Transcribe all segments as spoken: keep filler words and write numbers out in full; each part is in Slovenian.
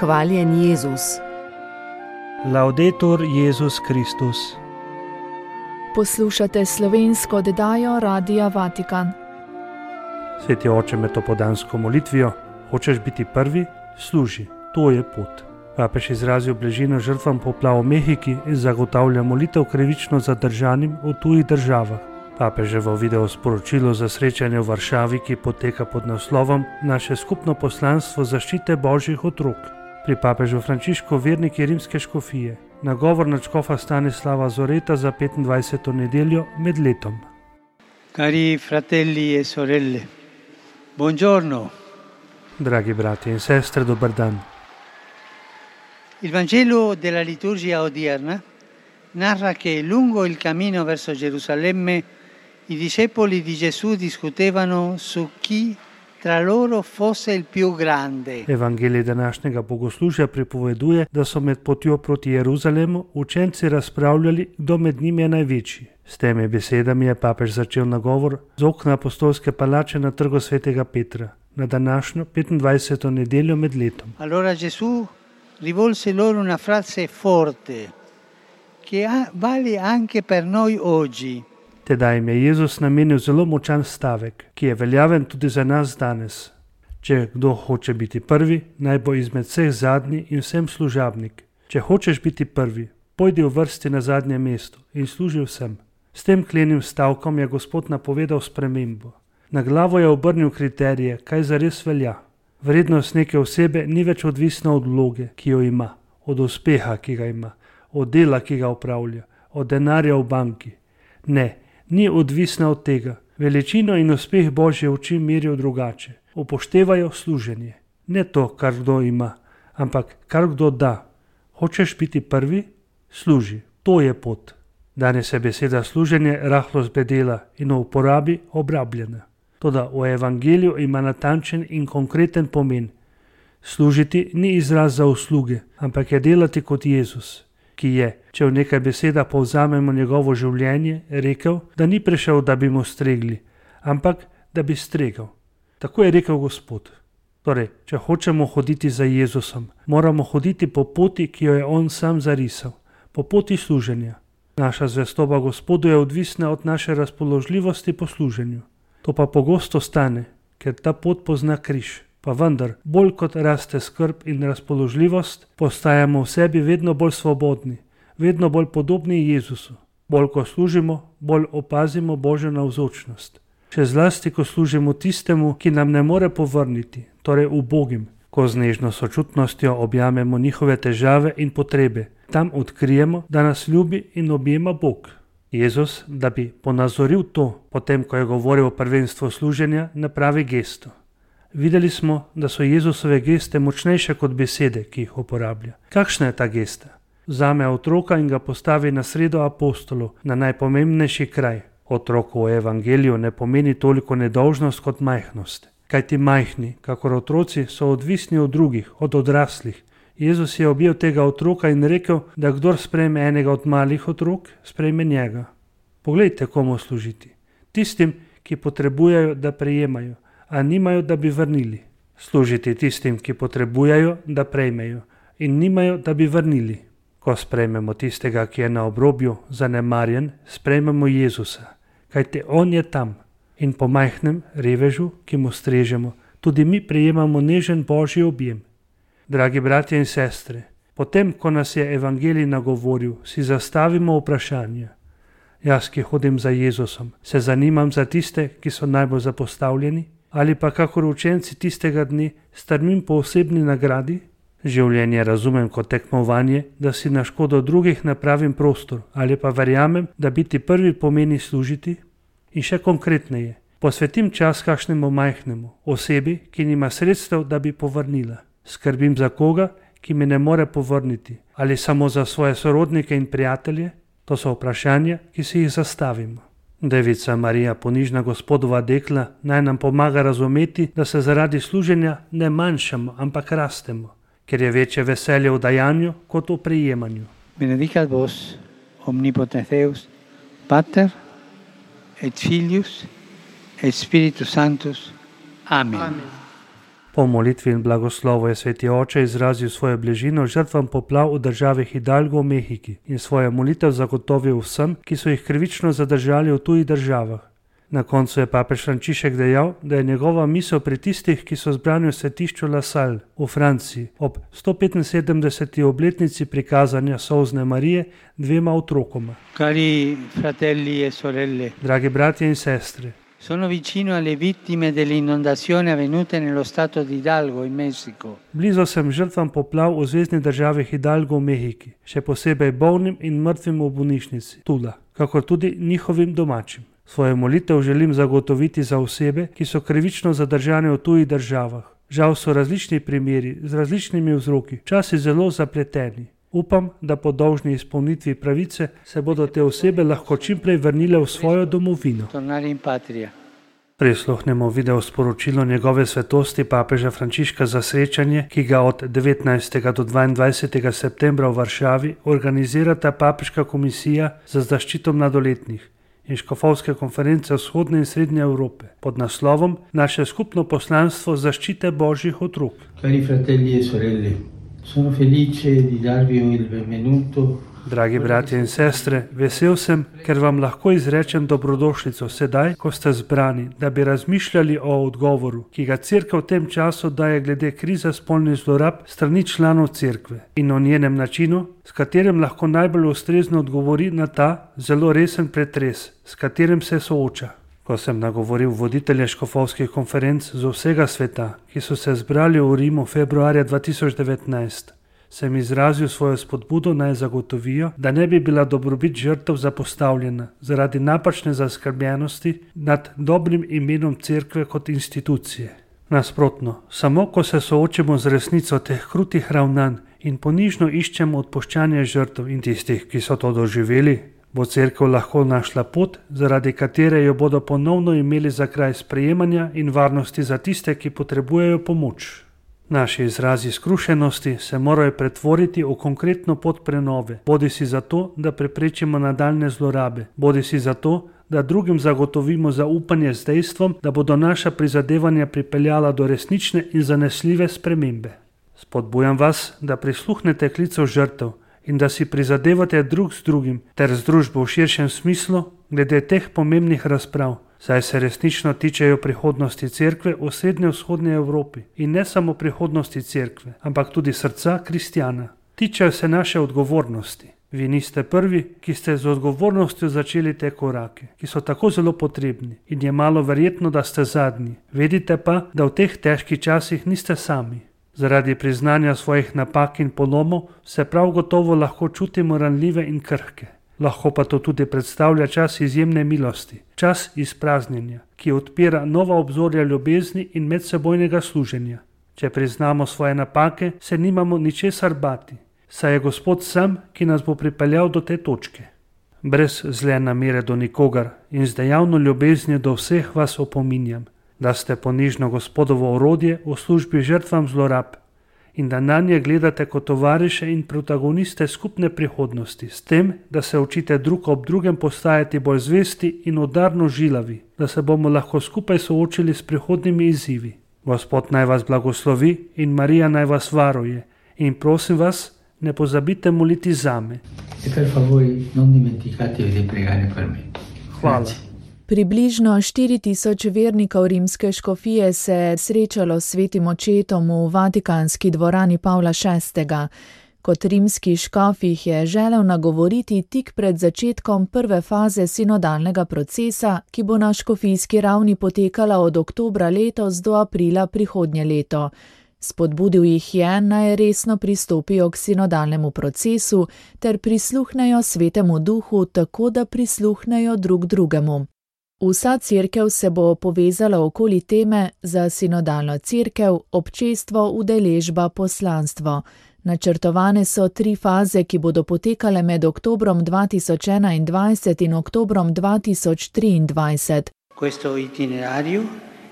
Hvaljen Jezus. Laudetur Jezus Kristus. Poslušate slovensko oddajo Radia Vatikan. Sveti oče, med topodansko molitvijo, hočeš biti prvi, služi, to je pot. Papež izrazil bližino žrtvam poplav v Mehiki in zagotavlja molitev krivično zadržanim v tujih državah. Papeževo video sporočilo za srečanje v Varšavi, ki poteka pod naslovom Naše skupno poslanstvo zaščite božjih otrok. Pri papežu Frančišku verniki rimske škofije. Nagovor nadškofa Stanislava Zoreta za petindvajseto nedeljo med letom. Cari fratelli e sorelle, buongiorno. Dragi bratje in sestre, dober dan. Il Vangelo della liturgia odierna narra che lungo il cammino verso Gerusalemme i discepoli di Gesù discutevano su chi tra loro fosse il più grande. Evangelij današnjega bogoslužja pripoveduje, da so med potjo proti Jeruzalemu učenci razpravljali, kdo med njimi je največji. S temi besedami je papež začel nagovor z okna apostolske palače na trgu svetega Petra, na današnjo petindvajseto nedeljo med letom. Allora Gesù rivolse loro una frase forte che vale anche per noi oggi. Tedaj jim je Jezus namenil zelo močan stavek, ki je veljaven tudi za nas danes. Če kdo hoče biti prvi, naj bo izmed vseh zadnji in vsem služabnik. Če hočeš biti prvi, pojdi v vrsti na zadnje mesto in služi vsem. S tem klenim stavkom je Gospod napovedal spremembo. Na glavo je obrnil kriterije, kaj zares velja. Vrednost neke osebe ni več odvisna od vloge, ki jo ima, od uspeha, ki ga ima, od dela, ki ga upravlja, od denarja v banki. Ne, ni odvisna od tega. Veličino in uspeh Božje oči merijo drugače. Upoštevajo služenje. Ne to, kar kdo ima, ampak kar kdo da. Hočeš biti prvi? Služi. To je pot. Danes je beseda služenje rahlo zbedela in v uporabi obrabljena. Toda v evangeliju ima natančen in konkreten pomen. Služiti ni izraz za usluge, ampak je delati kot Jezus, ki je, če v nekaj beseda povzamemo njegovo življenje, rekel, da ni prišel, da bi mu stregli, ampak da bi stregal. Tako je rekel Gospod. Torej, če hočemo hoditi za Jezusom, moramo hoditi po poti, ki jo je on sam zarisal, po poti služenja. Naša zvestoba Gospodu je odvisna od naše razpoložljivosti po služenju. To pa pogosto stane, ker ta pot pozna križ. Pa vendar, bolj kot raste skrb in razpoložljivost, postajamo v sebi vedno bolj svobodni, vedno bolj podobni Jezusu. Bolj ko služimo, bolj opazimo Božjo navzočnost. Še zlasti, ko služimo tistemu, ki nam ne more povrniti, torej ubogim, ko z nežno sočutnostjo objamemo njihove težave in potrebe. Tam odkrijemo, da nas ljubi in objema Bog. Jezus, da bi ponazoril to, potem ko je govoril o prvenstvu služenja, napravi gesto. Videli smo, da so Jezusove geste močnejše kot besede, ki jih uporablja. Kakšna je ta gesta? Vzame otroka in ga postavi na sredo apostolov, na najpomembnejši kraj. Otrok v evangeliju ne pomeni toliko nedolžnost kot majhnost. Kajti majhni, kakor otroci, so odvisni od drugih, od odraslih. Jezus je objel tega otroka in rekel, da kdor sprejme enega od malih otrok, sprejme njega. Poglejte, komu služiti. Tistim, ki potrebujejo, da prejemajo, a nimajo, da bi vrnili. Služiti tistim, ki potrebujejo, da prejmejo, in nimajo, da bi vrnili. Ko sprejmemo tistega, ki je na obrobju, zanemarjen, sprejmemo Jezusa, kajte on je tam. In po majhnem revežu, ki mu strežemo, tudi mi prejemamo nežen Božji objem. Dragi bratje in sestre, potem, ko nas je evangelij nagovoril, si zastavimo vprašanja. Jaz, ki hodim za Jezusom, se zanimam za tiste, ki so najbolj zapostavljeni, ali pa kakor učenci tistega dne strmim po osebni nagradi? Življenje razumem kot tekmovanje, da si na škodo drugih napravim prostor, ali pa verjamem, da biti prvi pomeni služiti? In še konkretneje, posvetim čas kakšnemu majhnemu, osebi, ki nima sredstev, da bi povrnila. Skrbim za koga, ki me ne more povrniti, ali samo za svoje sorodnike in prijatelje? To so vprašanja, ki si jih zastavimo. Devica Marija, ponižna Gospodova dekla, naj nam pomaga razumeti, da se zaradi služenja ne manjšamo, ampak rastemo, ker je večje veselje v dajanju kot v prejemanju. Benedicat vos, omnipotens Deus, Pater et Filius et Spiritus Sanctus. Amen. Amen. Po molitvi in blagoslovu je sveti oče izrazil svojo bližino žrtvam poplav v državi Hidalgo v Mehiki in svojo molitev zagotovil vsem, ki so jih krivično zadržali v tujih državah. Na koncu je papež Frančišek dejal, da je njegova misel pri tistih, ki so zbrani v svetišču La Salle v Franciji ob sto petinsedemdeseti obletnici prikazanja solzne Marije dvema otrokoma. Cari fratelli e sorelle, Dragi bratje in sestre, sono vicino alle vittime delle inondazioni avvenute nello stato di Hidalgo in Messico. blizu sem žrtvam poplav v zvezni državi Hidalgo v Mehiki, še posebej bolnim in mrtvim v bolnišnici Tula, kakor tudi njihovim domačim. Svojo molitev želim zagotoviti za osebe, ki so krivično zadržane v tujih državah. Žal so različni primeri z različnimi vzroki, časi zelo zapleteni. Upam, da po dolžni izpolnitvi pravice se bodo te osebe lahko čimprej vrnile v svojo domovino. Tornare in patria. Prisluhnemo video sporočilo njegove svetosti papeža Frančiška za srečanje, ki ga od devetnajstega do dvaindvajsetega septembra v Varšavi organizirata Papeška komisija za zaščito mladoletnih in škofovske konference vzhodne in srednje Evrope pod naslovom Naše skupno poslanstvo zaščite božjih otrok. Cari fratelli e sorelle, sono felice di darvi il benvenuto. Dragi bratje in sestre, vesel sem, ker vam lahko izrečem dobrodošlico sedaj, ko ste zbrani, da bi razmišljali o odgovoru, ki ga Cerkev v tem času daje glede krize spolnih zlorab strani članov Cerkve in o njenem načinu, s katerim lahko najbolj ustrezno odgovori na ta zelo resen pretres, s katerim se sooča. Ko sem nagovoril voditelje škofovskih konferenc z vsega sveta, ki so se zbrali v Rimu februarja dva tisoč devetnajst, sem izrazil svojo spodbudo naj zagotovijo, da ne bi bila dobrobit žrtev zapostavljena zaradi napačne zaskrbljenosti nad dobrim imenom Cerkve kot institucije. Nasprotno, samo ko se soočimo z resnico teh krutih ravnanj in ponižno iščemo odpuščanje žrtev in tistih, ki so to doživeli, bo Cerkev lahko našla pot, zaradi katere jo bodo ponovno imeli za kraj sprejemanja in varnosti za tiste, ki potrebujejo pomoč. Naši izrazi skrušenosti se morajo pretvoriti v konkretno pot prenove, bodi si zato, da preprečimo nadaljne zlorabe, bodi si zato, da drugim zagotovimo zaupanje z dejstvom, da bodo naša prizadevanja pripeljala do resnične in zanesljive spremembe. Spodbujam vas, da prisluhnete klicu žrtev in da si prizadevate drug z drugim ter z družbo v širšem smislu glede teh pomembnih razprav, saj se resnično tičejo prihodnosti Cerkve v srednje-vzhodni Evropi in ne samo prihodnosti Cerkve, ampak tudi srca kristjana. Tičejo se naše odgovornosti. Vi niste prvi, ki ste z odgovornostjo začeli te korake, ki so tako zelo potrebni in je malo verjetno, da ste zadnji. Vedite pa, da v teh težkih časih niste sami. Zaradi priznanja svojih napak in polomov se prav gotovo lahko čutimo ranljive in krhke. Lahko pa to tudi predstavlja čas izjemne milosti, čas izpraznjenja, ki odpira nova obzorja ljubezni in medsebojnega služenja. Če priznamo svoje napake, se nimamo ničesar bati, saj je Gospod sam, ki nas bo pripeljal do te točke. Brez zle namere do nikogar in z dejavno ljubeznijo do vseh vas opominjam, da ste ponižno Gospodovo orodje v službi žrtvam zlorab in da na nje gledate kot tovariše in protagoniste skupne prihodnosti, s tem, da se učite drug ob drugem postajati bolj zvesti in udarno žilavi, da se bomo lahko skupaj soočili s prihodnimi izzivi. Gospod naj vas blagoslovi in Marija naj vas varuje in prosim vas, ne pozabite moliti zame. Hvala. Približno štiri tisoč vernikov rimske škofije se je srečalo s svetim očetom v Vatikanski dvorani Pavla šestega. Kot rimski škof jih je želel nagovoriti tik pred začetkom prve faze sinodalnega procesa, ki bo na škofijski ravni potekala od oktobra letos do aprila prihodnje leto. Spodbudil jih je, naj resno pristopijo k sinodalnemu procesu ter prisluhnejo svetemu duhu tako, da prisluhnejo drug drugemu. Vsa cerkev se bo povezala okoli teme za sinodalno cerkev, občestvo, udeležba, poslanstvo. Načrtovane so tri faze, ki bodo potekale med oktobrom dva tisoč enaindvajset in oktobrom dva tisoč triindvajset. Questo itinerario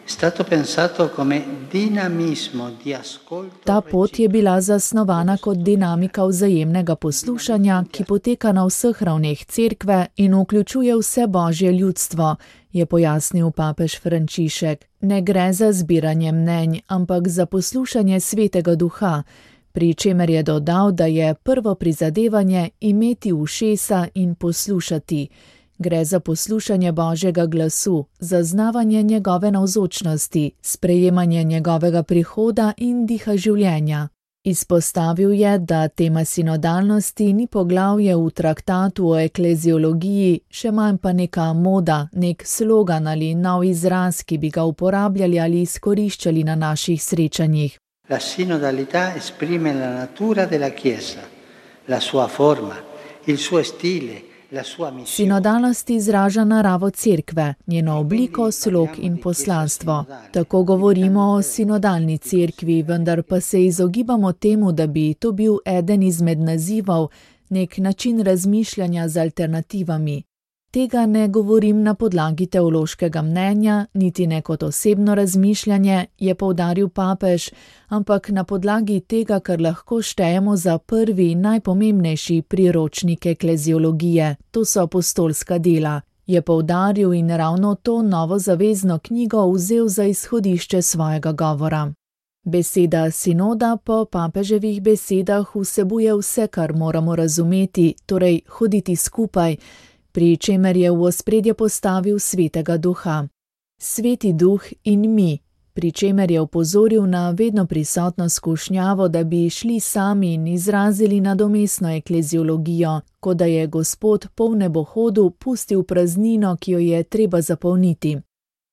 stato pensato come dinamismo di ascolto. Ta pot je bila zasnovana kot dinamika vzajemnega poslušanja, ki poteka na vseh ravneh cerkve in vključuje vse božje ljudstvo, je pojasnil papež Frančišek. Ne gre za zbiranje mnenj, ampak za poslušanje Svetega Duha, pri čemer je dodal, da je prvo prizadevanje imeti ušesa in poslušati. Gre za poslušanje Božjega glasu, zaznavanje njegove navzočnosti, sprejemanje njegovega prihoda in diha življenja. Izpostavil je, da tema sinodalnosti ni poglavje v traktatu o ekleziologiji, še manj pa neka moda, nek slogan ali nov izraz, ki bi ga uporabljali ali izkoriščali na naših srečanjih. La sinodalità esprime la natura della Chiesa, la sua forma, il suo stile. Sinodalnost izraža naravo cerkve, njeno obliko, slog in poslanstvo. Tako govorimo o sinodalni cerkvi, vendar pa se izogibamo temu, da bi to bil eden izmed nazivov, nek način razmišljanja z alternativami. Tega ne govorim na podlagi teološkega mnenja, niti ne kot osebno razmišljanje, je poudaril papež, ampak na podlagi tega, kar lahko štejemo za prvi in najpomembnejši priročnik ekleziologije, to so apostolska dela, je poudaril in ravno to novo zavezno knjigo vzel za izhodišče svojega govora. Beseda sinoda po papeževih besedah vsebuje vse, kar moramo razumeti, torej hoditi skupaj, pri čemer je v ospredje postavil Svetega Duha. Sveti Duh in mi, pri čemer je opozoril na vedno prisotno skušnjavo, da bi šli sami in izrazili nadomestno ekleziologijo, kot da je Gospod po nebohodu pustil praznino, ki jo je treba zapolniti.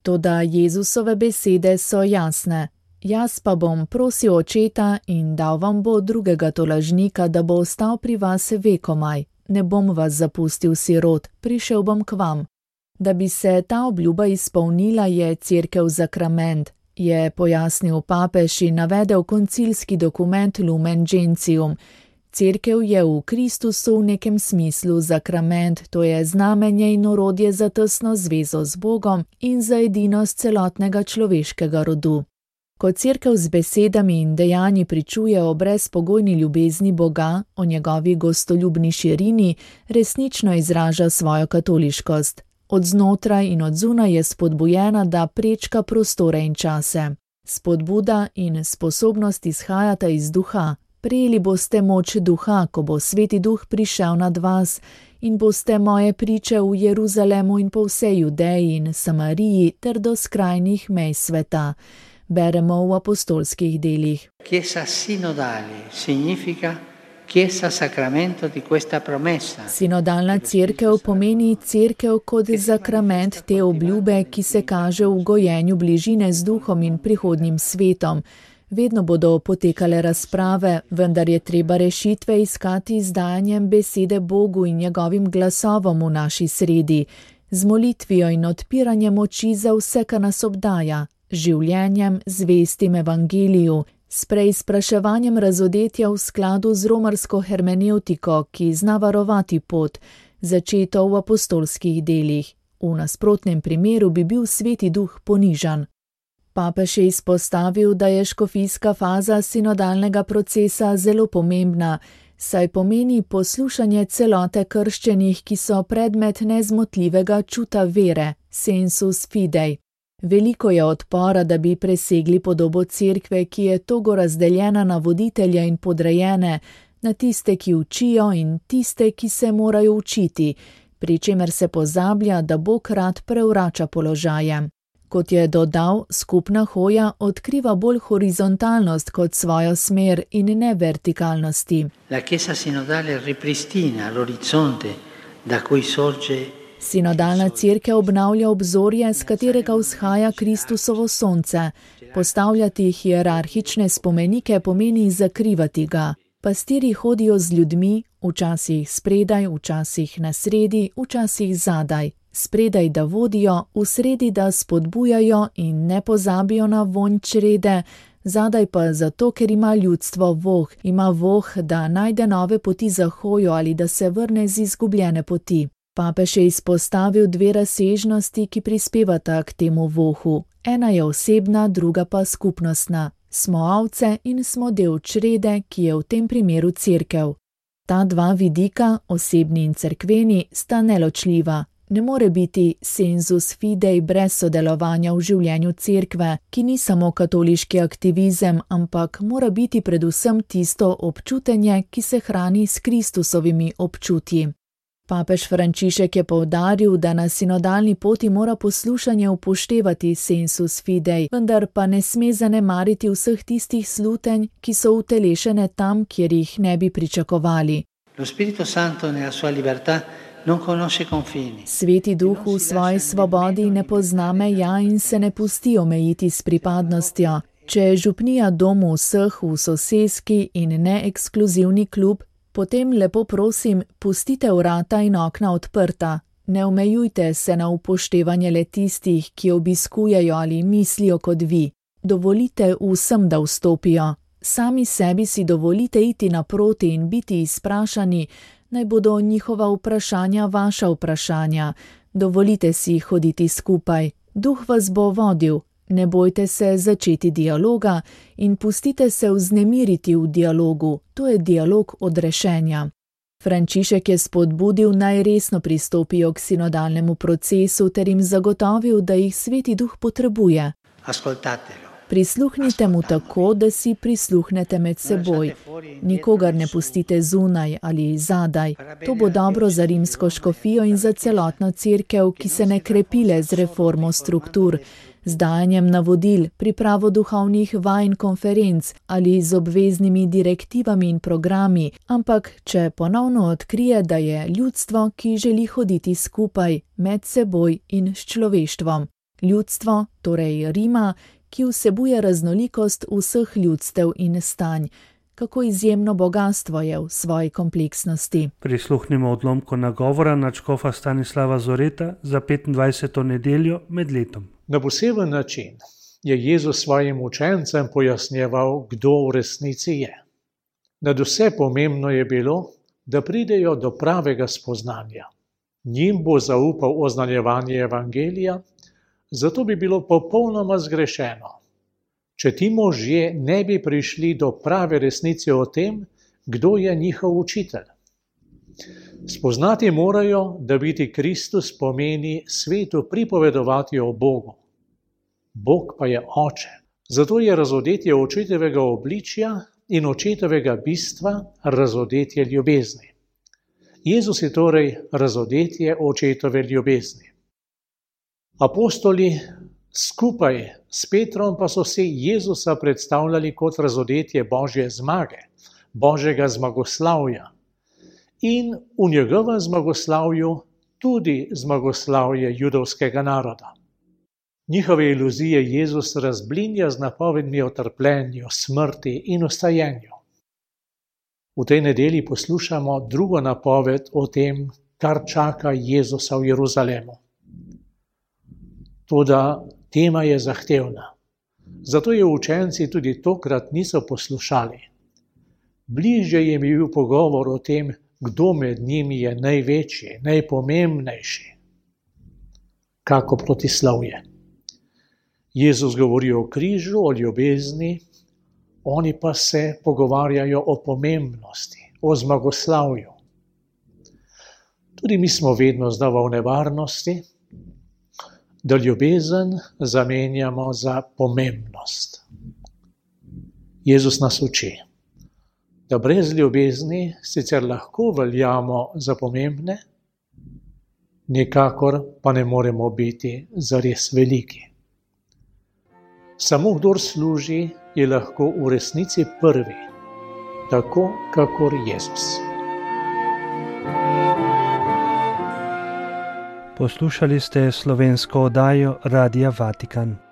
Toda Jezusove besede so jasne. Jaz pa bom prosil očeta in dal vam bo drugega tolažnika, da bo ostal pri vas vekomaj. Ne bom vas zapustil sirot, prišel bom k vam. Da bi se ta obljuba izpolnila, je cerkev zakrament, je pojasnil papež in navedel koncilski dokument Lumen Gentium. Cerkev je v Kristusu v nekem smislu zakrament, to je znamenje in orodje za tesno zvezo z Bogom in za edinost celotnega človeškega rodu. Ko cerkev z besedami in dejanji pričuje o brezpogojni ljubezni Boga, o njegovi gostoljubni širini, resnično izraža svojo katoliškost. Od znotraj in od zunaj je spodbujena, da prečka prostore in čase. Spodbuda in sposobnost izhajata iz duha. Prejeli boste moč duha, ko bo Sveti Duh prišel nad vas, in boste moje priče v Jeruzalemu in po vsej Judeji in Samariji ter do skrajnih mej sveta. Beremo v apostolskih delih. Chiesa sinodale significa chiesa sacramento di questa promessa. Sinodalna cerkev pomeni cerkev kot zakrament te obljube, ki se kaže v gojenju bližine z duhom in prihodnjim svetom. Vedno bodo potekale razprave, vendar je treba rešitve iskati z dajanjem besede Bogu in njegovim glasovom v naši sredi, z molitvijo in odpiranjem oči za vse, kar nas obdaja, življenjem, zvestim evangeliju, s preizpraševanjem razodetja v skladu z romarsko hermenevtiko, ki zna varovati pot, začeto v apostolskih delih. V nasprotnem primeru bi bil Sveti Duh ponižan. Papež je izpostavil, da je škofijska faza sinodalnega procesa zelo pomembna, saj pomeni poslušanje celote krščenih, ki so predmet nezmotljivega čuta vere, sensus fidei. Veliko je odpora, da bi presegli podobo cerkve, ki je togo razdeljena na voditelja in podrejene, na tiste, ki učijo in tiste, ki se morajo učiti, pri čemer se pozablja, da Bog rad prevrača položaje. Kot je dodal, skupna hoja odkriva bolj horizontalnost kot svojo smer in ne vertikalnosti. La Chiesa sinodale ripristina l'orizzonte da cui sorge. Sinodalna cerkev obnavlja obzorje, s katerega vzhaja Kristusovo sonce. Postavljati hierarhične spomenike pomeni zakrivati ga. Pastiri hodijo z ljudmi, včasih spredaj, včasih na sredi, včasih zadaj. Spredaj, da vodijo, v sredi, da spodbujajo in ne pozabijo na vonj črede, zadaj pa zato, ker ima ljudstvo voh, ima voh, da najde nove poti za hojo ali da se vrne z izgubljene poti. Papež je izpostavil dve razsežnosti, ki prispevata k temu vohu. Ena je osebna, druga pa skupnostna. Smo ovce in smo del črede, ki je v tem primeru cerkev. Ta dva vidika, osebni in cerkveni, sta neločljiva. Ne more biti sensus fidei brez sodelovanja v življenju cerkve, ki ni samo katoliški aktivizem, ampak mora biti predvsem tisto občutenje, ki se hrani s Kristusovimi občutji. Papež Frančišek je poudaril, da na sinodalni poti mora poslušanje upoštevati sensus fidei, vendar pa ne sme zanemariti vseh tistih slutenj, ki so utelešene tam, kjer jih ne bi pričakovali. Lo Spirito Santo nella sua libertà non conosce confini. Sveti Duh v svoji svobodi ne pozna meja in se ne pusti omejiti s pripadnostjo. Če je župnija dom vseh v soseski in ne ekskluzivni klub, potem lepo prosim, pustite vrata in okna odprta. Ne omejujte se na upoštevanje le tistih, ki obiskujejo ali mislijo kot vi. Dovolite vsem, da vstopijo. Sami sebi si dovolite iti naproti in biti izprašani, naj bodo njihova vprašanja vaša vprašanja. Dovolite si hoditi skupaj. Duh vas bo vodil. Ne bojte se začeti dialoga in pustite se vznemiriti v dialogu. To je dialog odrešenja. Frančišek je spodbudil, naj resno pristopijo k sinodalnemu procesu ter jim zagotovil, da jih Sveti Duh potrebuje. Ascoltatelo. Prisluhnite mu tako, da si prisluhnete med seboj. Nikogar ne pustite zunaj ali zadaj. To bo dobro za rimsko škofijo in za celotno cerkev, ki se ne krepi le z reformo struktur, z dajanjem navodil, pripravo duhovnih vaj in konferenc ali z obveznimi direktivami in programi, ampak če ponovno odkrije, da je ljudstvo, ki želi hoditi skupaj, med seboj in s človeštvom. Ljudstvo, torej Rima, ki vsebuje raznolikost vseh ljudstev in stanj. Kako izjemno bogastvo je v svoji kompleksnosti. Prisluhnimo odlomku nagovora nadškofa Stanislava Zoreta za petindvajseto nedeljo med letom. Na poseben način je Jezus svojim učencem pojasnjeval, kdo v resnici je. Nadvse pomembno je bilo, da pridejo do pravega spoznanja. Njim bo zaupal oznanjevanje evangelija, zato bi bilo popolnoma zgrešeno, če ti možje ne bi prišli do prave resnice o tem, kdo je njihov učitelj. Spoznati morajo, da biti Kristus pomeni svetu pripovedovati o Bogu. Bog pa je Oče. Zato je razodetje očetovega obličja in očetovega bistva razodetje ljubezni. Jezus je torej razodetje očetove ljubezni. Apostoli skupaj s Petrom pa so si Jezusa predstavljali kot razodetje Božje zmage, Božjega zmagoslavja in v njegovem zmagoslavju tudi zmagoslavje judovskega naroda. Njihove iluzije Jezus razblinja z napovedmi o trpljenju, smrti in vstajenju. V tej nedelji poslušamo drugo napoved o tem, kar čaka Jezusa v Jeruzalemu. Toda tema je zahtevna. Zato je učenci tudi tokrat niso poslušali. Bližje jim je bil pogovor o tem, kdo med njimi je največji, najpomembnejši. Kako protislovje. Jezus govori o križu, o ljubezni, oni pa se pogovarjajo o pomembnosti, o zmagoslavju. Tudi mi smo vedno znova v nevarnosti, da ljubezen zamenjamo za pomembnost. Jezus nas uči, da brez ljubezni sicer lahko veljamo za pomembne, nikakor pa ne moremo biti zares veliki. Samo kdor služi, je lahko v resnici prvi, tako kakor Jezus. Poslušali ste slovensko oddajo Radia Vatikan.